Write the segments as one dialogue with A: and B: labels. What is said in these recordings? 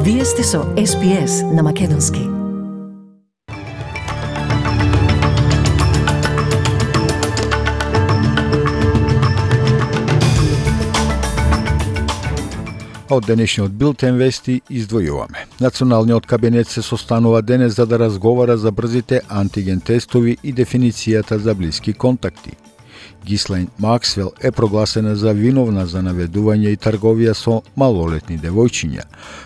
A: Вие сте со SPS на Македонски.
B: Од денешниот билтен вести издвојуваме. Националниот кабинет се состанува денес за да разговара за брзите антиген тестови и дефиницијата за блиски контакти. Гислен Максвел е прогласена за виновна за наведување и трговија со малолетни девојчиња.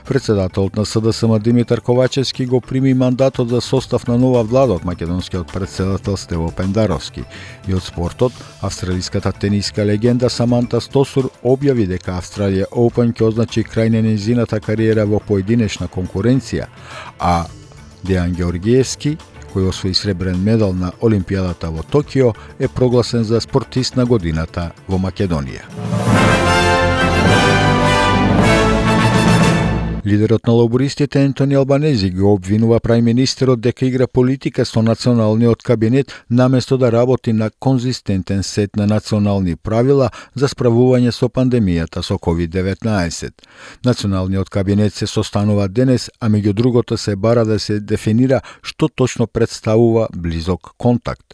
B: Председателот на СДСМ Димитар Ковачевски го прими мандатот за состав на нова влада од македонскиот председател Стево Пендаровски. И од спортот, австралиската тениска легенда Саманта Стосур објави дека Австралија Open ќе означи крај на нејзината кариера во поединечна конкуренција, а Дејан Георгиевски, кој освои сребрен медал на Олимпијадата во Токио, е прогласен за спортист на годината во Македонија. Лидерот на лабористите Ентони Албанези го обвинува прајминистерот дека игра политика со националниот кабинет наместо да работи на конзистентен сет на национални правила за справување со пандемијата со COVID-19. Националниот кабинет се состанува денес, а меѓу другото се бара да се дефинира што точно представува близок контакт.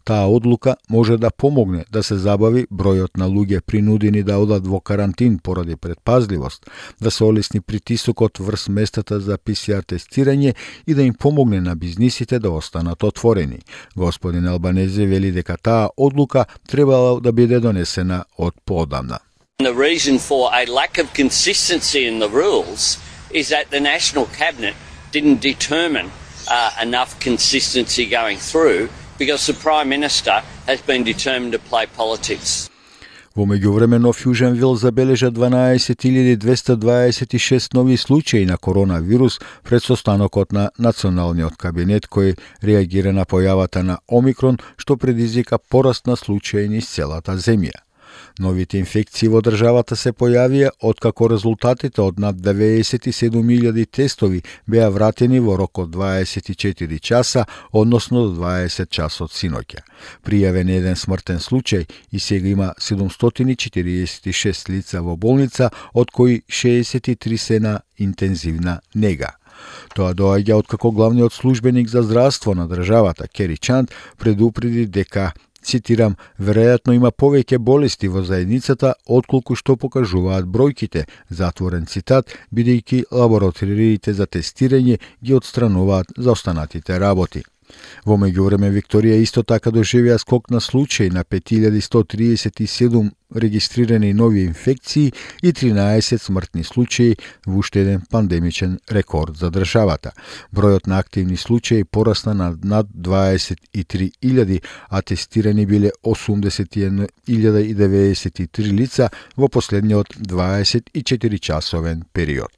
B: Таа одлука може да помогне да се забави бројот на луѓе принудени да одат во карантин поради предпазливост, да се олесни притисокот врз местата за ПСР тестирање и да им помогне на бизнисите да останат отворени. Господин Албанези вели дека таа одлука требало да биде донесена од поодамна.
C: The reason for a lack of consistency in the rules is that the National Cabinet didn't determine enough consistency going through because the Prime Minister has been determined to play politics.
B: Во меѓувреме Нов Јужен Вел забележа 12.226 нови случаи на коронавирус пред состанокот на националниот кабинет кој реагира на појавата на Омикрон, што предизвика пораст на случаи низ целата земја. Новите инфекции во државата се појавија откако резултатите од над 97.000 тестови беа вратени во рок од 24 часа, односно до 20 часот синоќа. Пријавен еден смртен случај и сега има 746 лица во болница, од кои 63 се на интензивна нега. Тоа доаѓа откако главниот службеник за здравство на државата, Кери Чанд, предупреди дека, цитирам, веројатно има повеќе болести во заедницата отколку што покажуваат бројките, затворен цитат, бидејќи лабораториите за тестирање ги отстрануваат за останатите работи. Во меѓувреме Викторија исто така доживеа скок на случаи на 5137 регистрирани нови инфекции и 13 смртни случаи, во уште еден пандемичен рекорд за државата. Бројот на активни случаи порасна на над 23.000, а тестирани биле 81.093 лица во последниот 24-часовен период.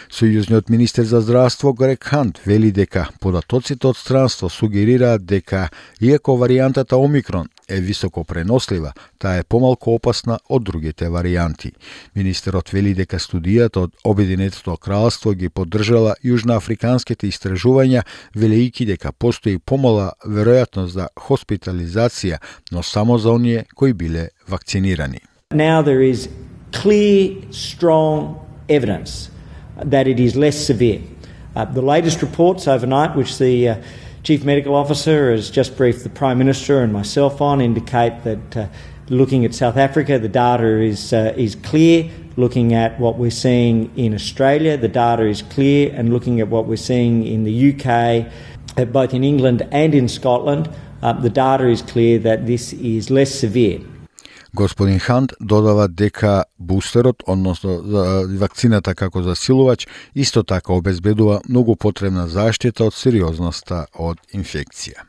B: Сојузниот министер за здравство Грег Хант вели дека податоците од странство сугерираат дека, иако варијантата Омикрон е високо пренослива, таа е помалку опасна од другите варијанти. Министерот вели дека студијата од Обединетото кралство ги поддржала јужноафриканските истражувања, велејќи дека постои помала веројатност за хоспитализација, но само за оние кои биле вакцинирани.
D: Now there is clear, strong evidence that it is less severe. The latest reports overnight, which the Chief Medical Officer has just briefed the Prime Minister and myself on, indicate that looking at South Africa, the data is clear. Looking at what we're seeing in Australia, the data is clear. And looking at what we're seeing in the UK, both in England and in Scotland, the data is clear that this is less severe.
B: Господин Хант додава дека бустерот, односно вакцината како засилувач, исто така обезбедува многу потребна заштита од сериозноста од инфекција.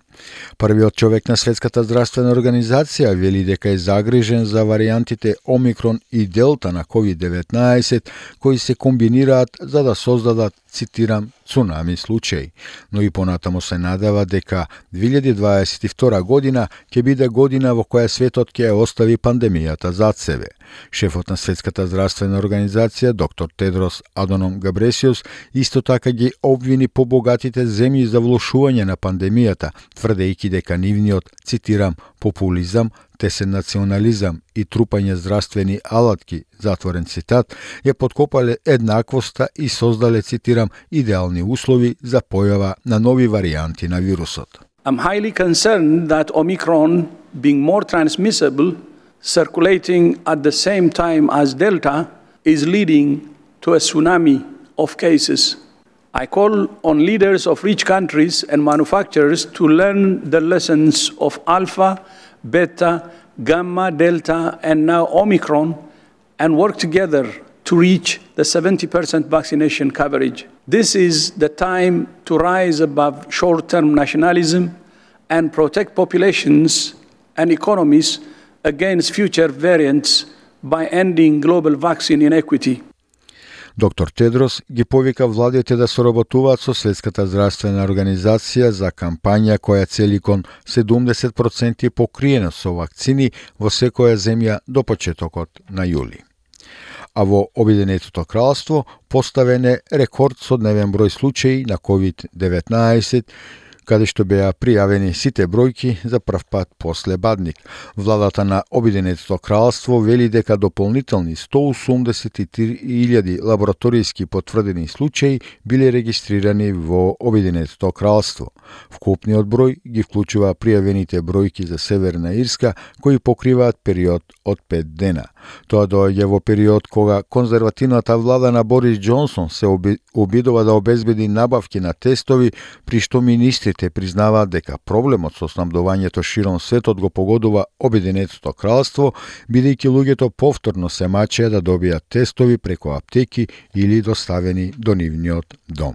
B: Првиот човек на Светската здравствена организација вели дека е загрижен за варијантите Омикрон и Делта на COVID-19, кои се комбинираат за да создадат, цитирам, цунами случаи, но и понатамо се надева дека 2022 година ќе биде година во која светот ќе остави пандемијата зад себе. Шефот на Светската здравствена организација, доктор Тедрос Адоном Габресиус, исто така ги обвини побогатите земји за влошување на пандемијата, тврдејќи дека нивниот, цитирам, популизам, тесен национализам и трупање здравствени алатки, затворен цитат, ја подкопале еднаквоста и создале, цитирам, идеални услови за појава на нови варијанти на вирусот.
E: I'm highly concerned that Omicron, being more transmissible, circulating at the same time as Delta, is leading to a tsunami of cases. I call on leaders of rich countries and manufacturers to learn the lessons of Alpha, Beta, Gamma, Delta, and now Omicron, and work together to reach the 70% vaccination coverage. This is the time to rise above short-term nationalism and protect populations and economies against future variants by ending global vaccine inequity.
B: Доктор Тедрос ги повика владите да соработуваат со Светската здравствена организација за кампања која цели кон 70% покриено со вакцини во секоја земја до почетокот на јули. А во Обединетото кралство поставен е рекорд со дневен број случаи на COVID-19, каде што беа пријавени сите бројки за прв пат после Бадник. Владата на Обединетото кралство вели дека дополнителни 183.000 лабораторијски потврдени случаи биле регистрирани во Обединетото кралство. Вкупниот број ги вклучува пријавените бројки за Северна Ирска, кои покриваат период од 5 дена. Тоа доаѓа во период кога конзервативната влада на Борис Џонсон се обидува да обезбеди набавки на тестови, при што министрите признаваат дека проблемот со снабдувањето широм светот го погодува Обединетото кралство, бидејќи луѓето повторно се мачеа да добијат тестови преку аптеки или доставени до нивниот дом.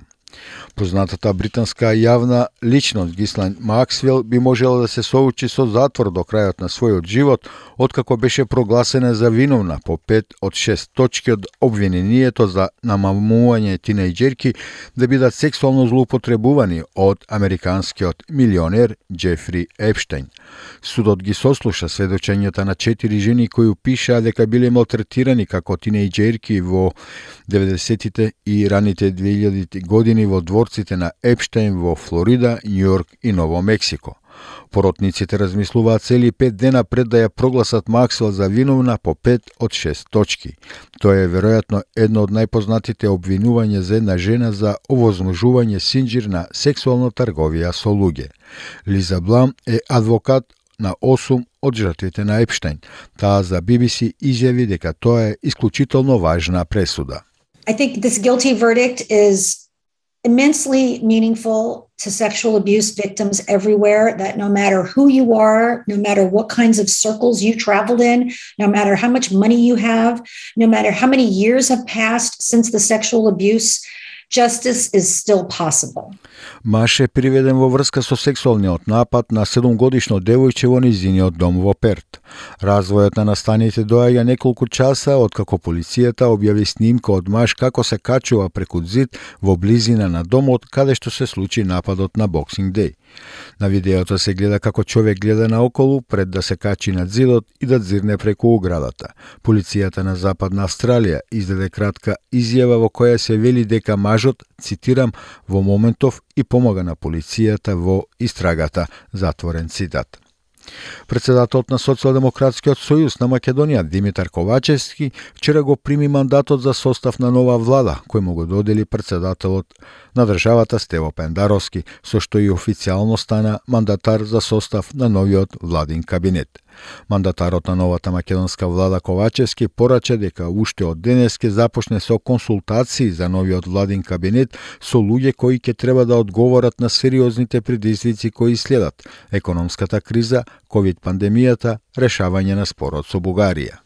B: Познатата британска јавна личност Гислан Максвел би можела да се соочи со затвор до крајот на својот живот, откако беше прогласена за виновна по 5 од 6 точки од обвинението за намамување тинејџерки да бидат сексуално злоупотребувани од американскиот милионер Џефри Епштејн. Судот ги сослуша сведочењата на 4 жени кои пишаа дека биле малтретирани како тинејџерки во 90-тите и раните 2000-ти години во дворците на Епштејн во Флорида, Њујорк и Ново Мексико. Поротниците размислуваат цели 5 дена пред да ја прогласат Максвел за виновна по 5 од 6 точки. Тоа е веројатно едно од најпознатите обвинувања за една жена за овозможување синџир на сексуална трговија со луѓе. Лиза Блам е адвокат на 8 од жртвите на Епштејн. Таа за BBC изјави дека тоа е исклучително важна пресуда.
F: I think this guilty verdict is immensely meaningful to sexual abuse victims everywhere, that no matter who you are, no matter what kinds of circles you traveled in, no matter how much money you have, no matter how many years have passed since the sexual abuse, justice is still possible.
B: Маж е приведен во врска со сексуалниот напад на 7-годишно девојче во низиниот дом во Перт. Развојот на настаните доаѓа неколку часа откако полицијата објави снимка од маж како се качува преку зид во близина на домот каде што се случи нападот на Boxing Day. На видеото се гледа како човек гледа наоколу пред да се качи над зидот и да дзирне преку оградата. Полицијата на Западна Австралија издаде кратка изјава во која се вели дека мажот, цитирам, во моментов и помага на полицијата во истрагата, затворен цитат. Председателот на Социјалдемократскиот сојуз на Македонија Димитар Ковачевски вчера го прими мандатот за состав на нова влада, кој му го додели председателот на државата Стево Пендаровски, со што и официјално стана мандатар за состав на новиот владин кабинет. Мандатарот на новата македонска влада Ковачевски порача дека уште од денес ќе започне со консултации за новиот владин кабинет со луѓе кои ќе треба да одговорат на сериозните предизвици кои следат: економската криза, ковид пандемијата, решавање на спорот со Бугарија.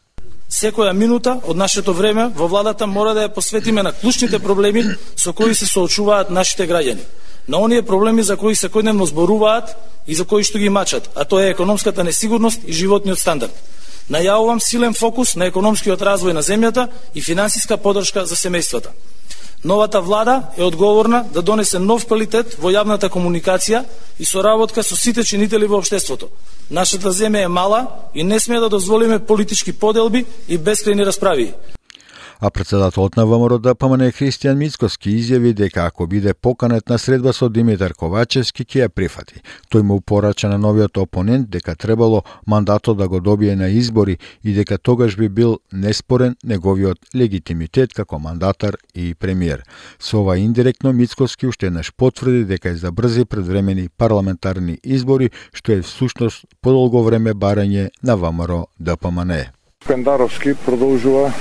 G: Секоја минута од нашето време во владата мора да ја посветиме на клучните проблеми со кои се соочуваат нашите граѓани. На оние проблеми за кои секојдневно зборуваат и за кои што ги мачат, а тоа е економската несигурност и животниот стандард. Најавувам силен фокус на економскиот развој на земјата и финансиска поддршка за семејствата. Новата влада е одговорна да донесе нов квалитет во јавната комуникација и соработка со сите чинители во општеството. Нашата земја е мала и не смее да дозволиме политички поделби и бескрајни расправи.
B: А председателот на ВМРО ДПМН Христијан Мицкоски изјави дека ако биде поканет на средба со Димитар Ковачевски ќе ја прифати. Тој му порача на новиот опонент дека требало мандатот да го добие на избори и дека тогаш би бил неспорен неговиот легитимитет како мандатар и премиер. Со ова индиректно Мицкоски уште еднаш потврди дека е за брзи предвремени парламентарни избори, што е всушност подолго време барање на ВМРО ДПМН.
H: Пендаровски продолжува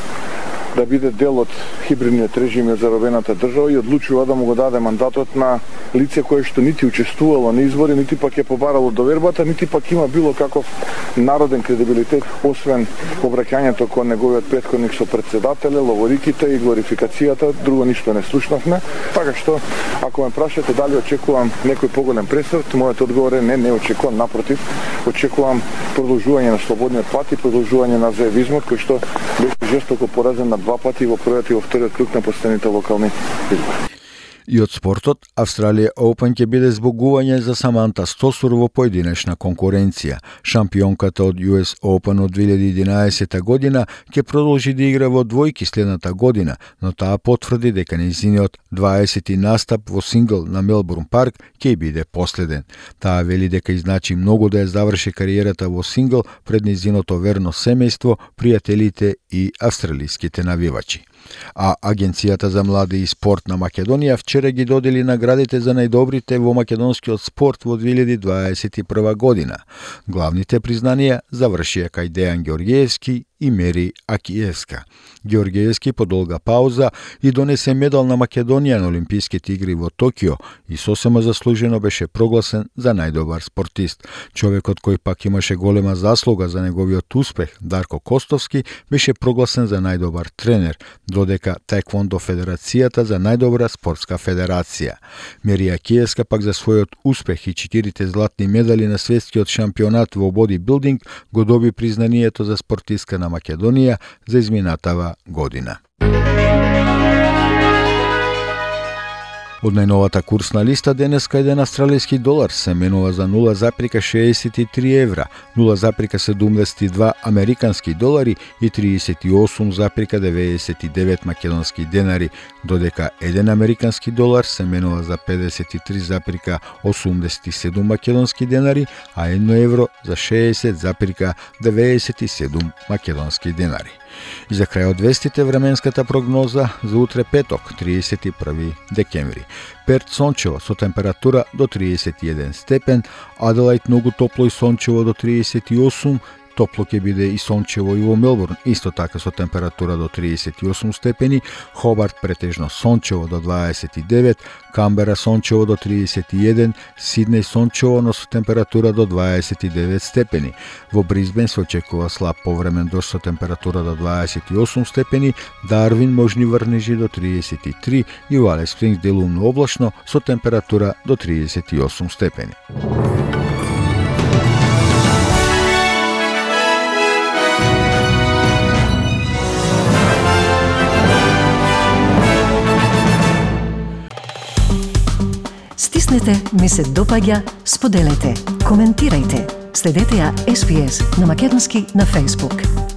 H: да биде дел од хибридниот режим од заробената држава и одлучува да му го даде мандатот на лице кое што нити учествувало на избори, нити пак е побарало довербата, нити пак има било каков народен кредибилитет, освен обраќањето кон неговиот претходник со председателе, ловориките и глорификацијата, друго ништо не слушнавме. Така што, ако ме прашате дали очекувам некој поголем пресрт, мојот одговор е не очекувам, напротив, очекувам продолжување на слободниот пат и продолжување на заевизмот, кој што беше жестоко поразен на два пати во првиот и во вториот круг на последните локални избори.
B: И од спортот, Австралија Open ќе биде збогување за Саманта Стосур во поединечна конкуренција. Шампионката од US Open од 2011 година ќе продолжи да игра во двојки следната година, но таа потврди дека нејзиниот 20 настап во сингл на Мелбурн парк ќе биде последен. Таа вели дека изначи многу да ја заврши кариерата во сингл пред нејзиното верно семејство, пријателите и австралиските навивачи. А Агенцијата за млади и спорт на Македонија вчера ги додели наградите за најдобрите во македонскиот спорт во 2021 година. Главните признанија завршија кај Дејан Ѓорѓиевски и Мери Акиевска. Ѓорѓиевски по долга пауза и донесе медал на Македонија на Олимписките игри во Токио и сосема заслужено беше прогласен за најдобар спортист. Човекот кој пак имаше голема заслуга за неговиот успех, Дарко Костовски, беше прогласен за најдобар тренер, додека Таеквондо Федерацијата за најдобра спортска федерација. Мери Акиевска пак за својот успех и 4 златни медали на светскиот шампионат во бодибилдинг го доби признанието за спортистка на Македонија за изминатава година. Од најновата курсна листа денеска еден австралиски долар се менува за 0,63 евра, 0,72 американски долари и 38,99 македонски денари, додека еден американски долар се менува за 53,87 македонски денари, а 1 евро за 60,97 македонски денари. И за крај од вестите временската прогноза за утре петок, 31 декември. Перт сончево со температура до 31 степен, Аделајд многу топло и сончево до 38, топло ќе биде и сончево и во Мелбурн, исто така со температура до 38 степени, Хобарт претежно сончево до 29, Камбера сончево до 31, Сиднеј сончево, но со температура до 29 степени. Во Брисбен се очекува слаб повремен дожд со температура до 28 степени, Дарвин можни врнежи до 33 и во Алис Спрингс делумно облачно со температура до 38 степени.
A: Стиснете, ми се допаѓа, споделете, коментирајте. Следете ја SPS на Македонски на Facebook.